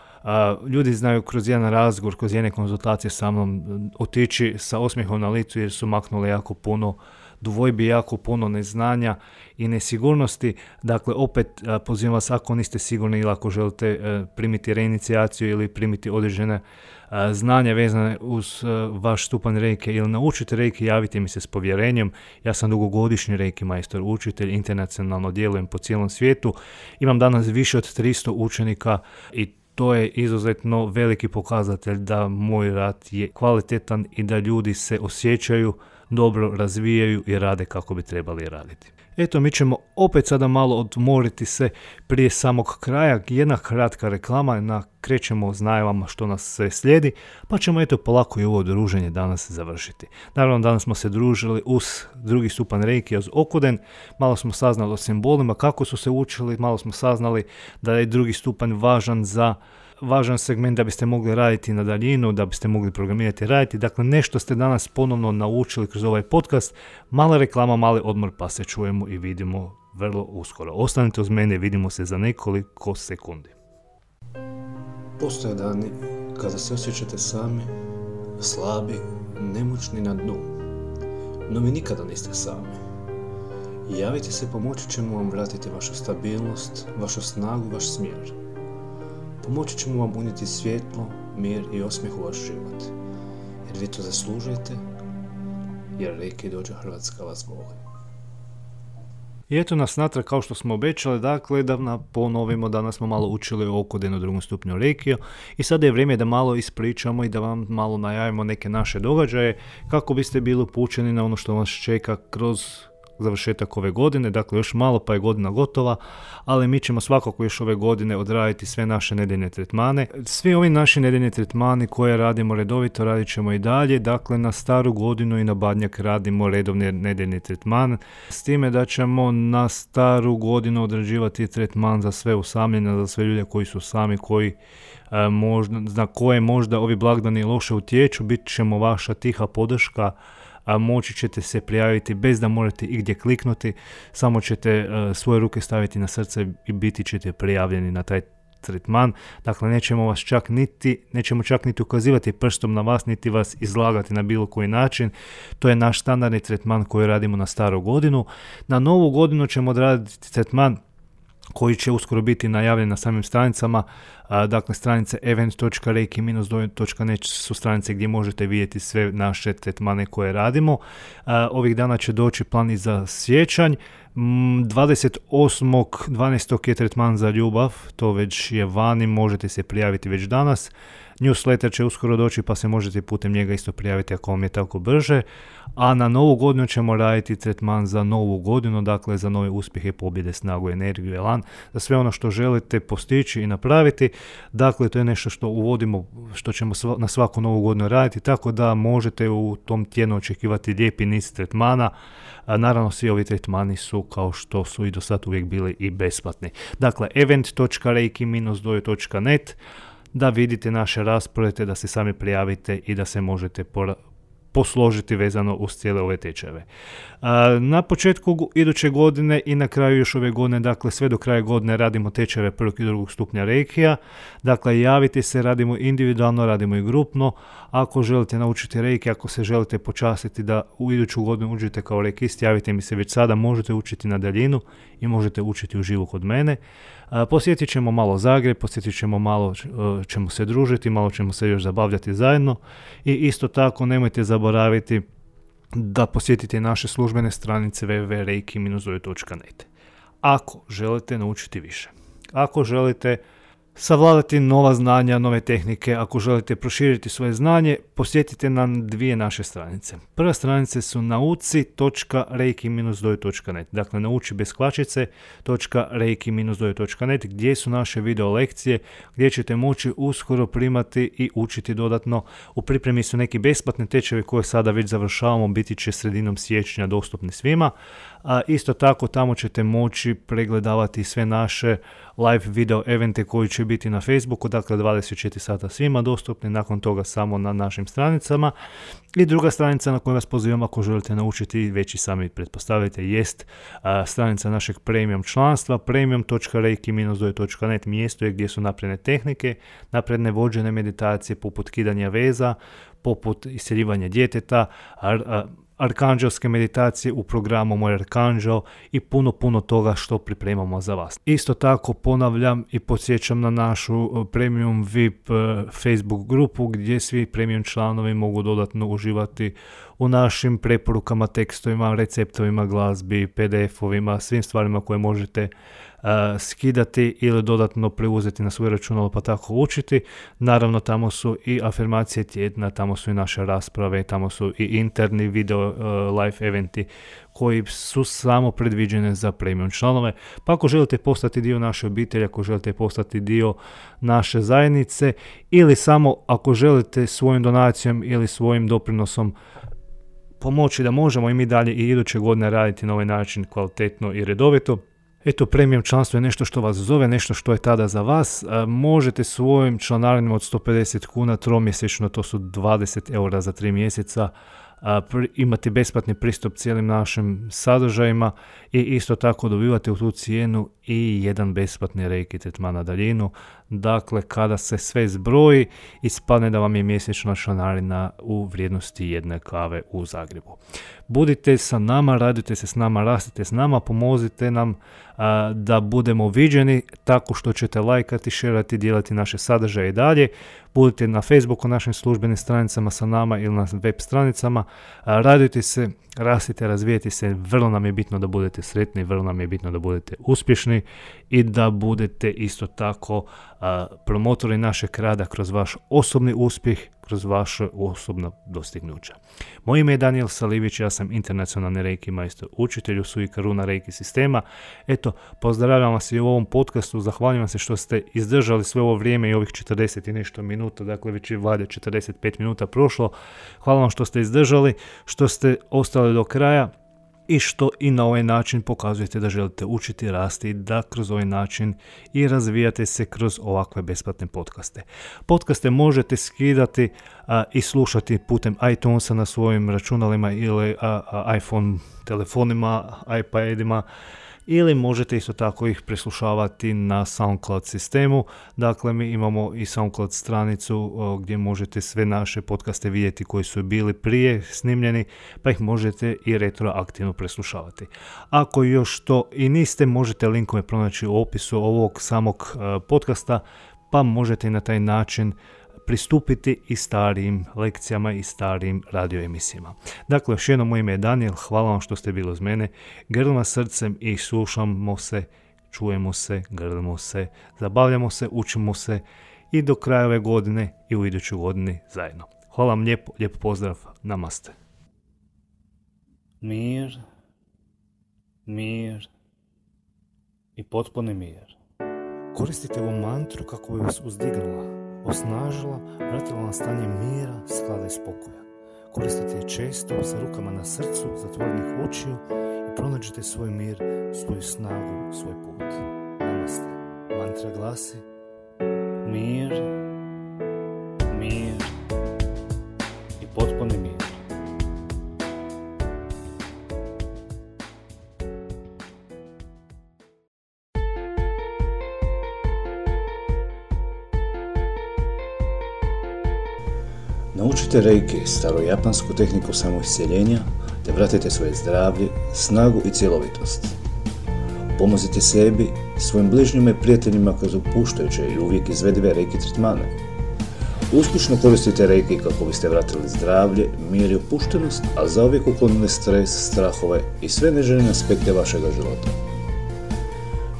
ljudi znaju kroz jedan razgovor, kroz jedne konzultacije sa mnom otići sa osmijehom na licu jer su maknuli jako puno dvojbi, jako puno neznanja i nesigurnosti. Dakle, opet pozivam vas, ako niste sigurni ili ako želite primiti reinicijaciju ili primiti određene znanja vezane uz vaš stupanj reiki ili naučite reiki, javite mi se s povjerenjem. Ja sam dugogodišnji reiki majstor, učitelj, internacionalno djelujem po cijelom svijetu. Imam danas više od 300 učenika i to je izuzetno veliki pokazatelj da moj rad je kvalitetan i da ljudi se osjećaju dobro, razvijaju i rade kako bi trebali raditi. Eto, mi ćemo opet sada malo odmoriti se prije samog kraja. Jedna kratka reklama, krećemo s najavama što nas sve slijedi, pa ćemo eto polako i ovo druženje danas završiti. Naravno, danas smo se družili uz drugi stupanj reiki, uz Okuden, malo smo saznali o simbolima, kako su se učili, malo smo saznali da je drugi stupanj važan segment da biste mogli raditi na daljinu, da biste mogli programirati i raditi. Dakle, nešto ste danas ponovno naučili kroz ovaj podcast. Mala reklama, mali odmor, pa se čujemo i vidimo vrlo uskoro. Ostanite uz mene, vidimo se za nekoliko sekundi.
Postoje dani kada se osjećate sami, slabi, nemoćni na dnu. No vi nikada niste sami. Javite se, pomoći ćemo vam vratiti vašu stabilnost, vašu snagu, vaš smjer. Pomoći ćemo vam unijeti svjetlo, mir i osmijeh u vaš život. Jer vi to zaslužujete, jer Reiki Dojo Hrvatska vas voli.
I eto nas natrag kao što smo obećali, dakle da ponovimo, danas smo malo učili o Okudenu drugom stupnju Reikija i sada je vrijeme da malo ispričamo i da vam malo najavimo neke naše događaje kako biste bili upućeni na ono što vas čeka kroz završetak ove godine, dakle još malo pa je godina gotova, ali mi ćemo svakako još ove godine odraditi sve naše nedeljne tretmane. Svi ovi naši nedeljni tretmani koje radimo redovito, radit ćemo i dalje, dakle na staru godinu i na Badnjak radimo redovni nedeljni tretman, s time da ćemo na staru godinu odrađivati tretman za sve usamljene, za sve ljude koji su sami, na koje možda ovi blagdani loše utječu, bit ćemo vaša tiha podrška, a moći ćete se prijaviti bez da morate igdje kliknuti, samo ćete svoje ruke staviti na srce i biti ćete prijavljeni na taj tretman. Dakle, nećemo čak niti ukazivati prstom na vas, niti vas izlagati na bilo koji način. To je naš standardni tretman koji radimo na staru godinu. Na novu godinu ćemo odraditi tretman koji će uskoro biti najavljen na samim stranicama. Dakle, stranice event.reiki-dojo.net su stranice gdje možete vidjeti sve naše tretmane koje radimo. Ovih dana će doći plan i za siječanj. 28.12. je tretman za ljubav, to već je vani, možete se prijaviti već danas. Newsletter će uskoro doći pa se možete putem njega isto prijaviti ako vam je tako brže. A na novu godinu ćemo raditi tretman za novu godinu, dakle za nove uspjehe, pobjede, snagu, energiju, elan, za sve ono što želite postići i napraviti. Dakle, to je nešto što uvodimo, što ćemo na svaku novu godinu raditi, tako da možete u tom tjednu očekivati lijepi niz tretmana. Naravno, svi ovi tretmani su, kao što su i do sad uvijek bili, i besplatni. Dakle, event.reiki-dojo.net, da vidite naše rasporede, da se sami prijavite i da se možete posložiti vezano uz cijele ove tečajeve. Na početku iduće godine i na kraju još ove godine, dakle sve do kraja godine, radimo tečajeve prvog i drugog stupnja reikija. Dakle, javite se, radimo individualno, radimo i grupno. Ako želite naučiti reiki, ako se želite počastiti da u iduću godinu uđete kao reikist, javite mi se već sada, možete učiti na daljinu i možete učiti uživo kod mene. Posjetit ćemo malo Zagreb, posjetit ćemo malo, ćemo se družiti, malo ćemo se još zabavljati zajedno i isto tako nemojte zaboraviti da posjetite naše službene stranice www.reiki-dojo.net. Ako želite naučiti više, ako želite savladati nova znanja, nove tehnike, ako želite proširiti svoje znanje, posjetite nam dvije naše stranice. Prva stranica su nauci.reiki-dojo.net, dakle nauči bez kvačice.reiki-dojo.net, gdje su naše video lekcije, gdje ćete moći uskoro primati i učiti dodatno. U pripremi su neki besplatni tečajevi koje sada već završavamo, biti će sredinom siječnja dostupni svima. A isto tako tamo ćete moći pregledavati sve naše live video evente koji će biti na Facebooku, dakle 24 sata svima dostupni, nakon toga samo na našim stranicama. I druga stranica na koju vas pozivam ako želite naučiti, već i sami pretpostavite, jest stranica našeg premium članstva, premium.reiki-dojo.net, mjesto je gdje su napredne tehnike, napredne vođene meditacije poput kidanja veza, poput iseljivanja djeteta, arkanđelske meditacije u programu Moj arkanđel i puno toga što pripremamo za vas. Isto tako ponavljam i podsjećam na našu premium VIP Facebook grupu gdje svi premium članovi mogu dodatno uživati u našim preporukama, tekstovima, receptovima, glazbi, PDF-ovima, svim stvarima koje možete skidati ili dodatno preuzeti na svoje računalo pa tako učiti. Naravno, tamo su i afirmacije tjedna, tamo su i naše rasprave, tamo su i interni video live eventi koji su samo predviđene za premium članove. Pa ako želite postati dio naše obitelji, ako želite postati dio naše zajednice ili samo ako želite svojom donacijom ili svojim doprinosom pomoći da možemo i mi dalje i iduće godine raditi na ovaj način kvalitetno i redovito. Eto, premium članstvo je nešto što vas zove, nešto što je tada za vas. Možete svojim članarinama od 150 kuna tromjesečno, to su 20 eura za 3 mjeseca, imati besplatni pristup cijelim našim sadržajima i isto tako dobivate u tu cijenu i jedan besplatni reiki tretman na daljinu. Dakle, kada se sve zbroji, ispadne da vam je mjesečna članarina u vrijednosti jedne kave u Zagrebu. Budite sa nama, radite se s nama, rastite s nama, pomozite nam da budemo viđeni tako što ćete lajkati, šerati, dijeliti naše sadržaje i dalje. Budite na Facebooku, našim službenim stranicama sa nama ili na web stranicama. Radujte se, rastite, razvijete se. Vrlo nam je bitno da budete sretni, vrlo nam je bitno da budete uspješni i da budete isto tako promotori našeg rada kroz vaš osobni uspjeh, kroz vaše osobna dostignuća. Moje ime je Daniel Salivić, ja sam internacionalni reiki majstor, učitelj u Sui Karuna reiki sistema. Eto, pozdravljam vas i u ovom podcastu, zahvaljujem se što ste izdržali sve ovo vrijeme i ovih 40 i nešto minuta, dakle već je valjda 45 minuta prošlo. Hvala vam što ste izdržali, što ste ostali do kraja i što i na ovaj način pokazujete da želite učiti, rasti, da kroz ovaj način i razvijate se kroz ovakve besplatne podcaste. Podcaste možete skidati i slušati putem iTunesa na svojim računalima ili iPhone telefonima, iPadima, ili možete isto tako ih preslušavati na SoundCloud sistemu. Dakle, mi imamo i SoundCloud stranicu gdje možete sve naše podcaste vidjeti koji su bili prije snimljeni, pa ih možete i retroaktivno preslušavati. Ako još to i niste, možete linkove pronaći u opisu ovog samog podcasta, pa možete i na taj način pristupiti i starijim lekcijama i starijim radio emisijama. Dakle, još jednom, moje ime je Daniel, hvala vam što ste bili uz mene, grlim vas srcem i slušamo se, čujemo se, grlimo se, zabavljamo se, učimo se i do kraja ove godine i u idućoj godini zajedno. Hvala vam lijepo, lijep pozdrav, namaste. Mir, mir i potpuni mir. Koristite ovu mantru kako bi vas uzdignula, osnažila, vratila na stanje mira, sklada i spokoja. Koristite je često sa rukama na srcu, zatvorenih očiju i pronađite svoj mir, svoju snagu, svoj put. Namaste. Mantra glasi: mir, mir i potpuni mir.
Naučite Reiki, starojapansku tehniku samoiscjeljenja, te vratite svoje zdravlje, snagu i cjelovitost. Pomozite sebi, svojim bližnjima i prijateljima kroz opuštajuće i uvijek izvedive Reiki tretmane. Uspješno koristite Reiki kako biste vratili zdravlje, mir i opuštenost, a zauvijek uklonili stres, strahove i sve neželjene aspekte vašega života.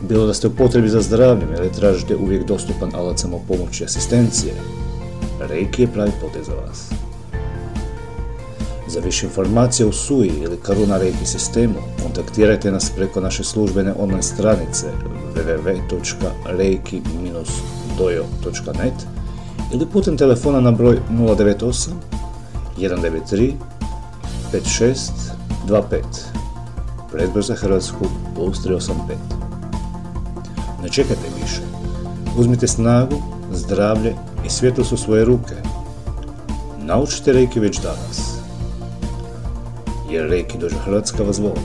Bilo da ste u potrebi za zdravljem ili tražite uvijek dostupan alat samopomoći i asistencije, Reiki je pravi potez za vas. Za više informacija o Sui ili Karuna Reiki sistemu kontaktirajte nas preko naše službene online stranice www.reiki-dojo.net ili putem telefona na broj 098 193 5625, predbroj za Hrvatsku +385. Ne čekajte više. Uzmite snagu, zdravlje i svjetlost u svoje ruke. Naučite Reiki već danas, jer Reiki Dojo Hrvatska vas voli.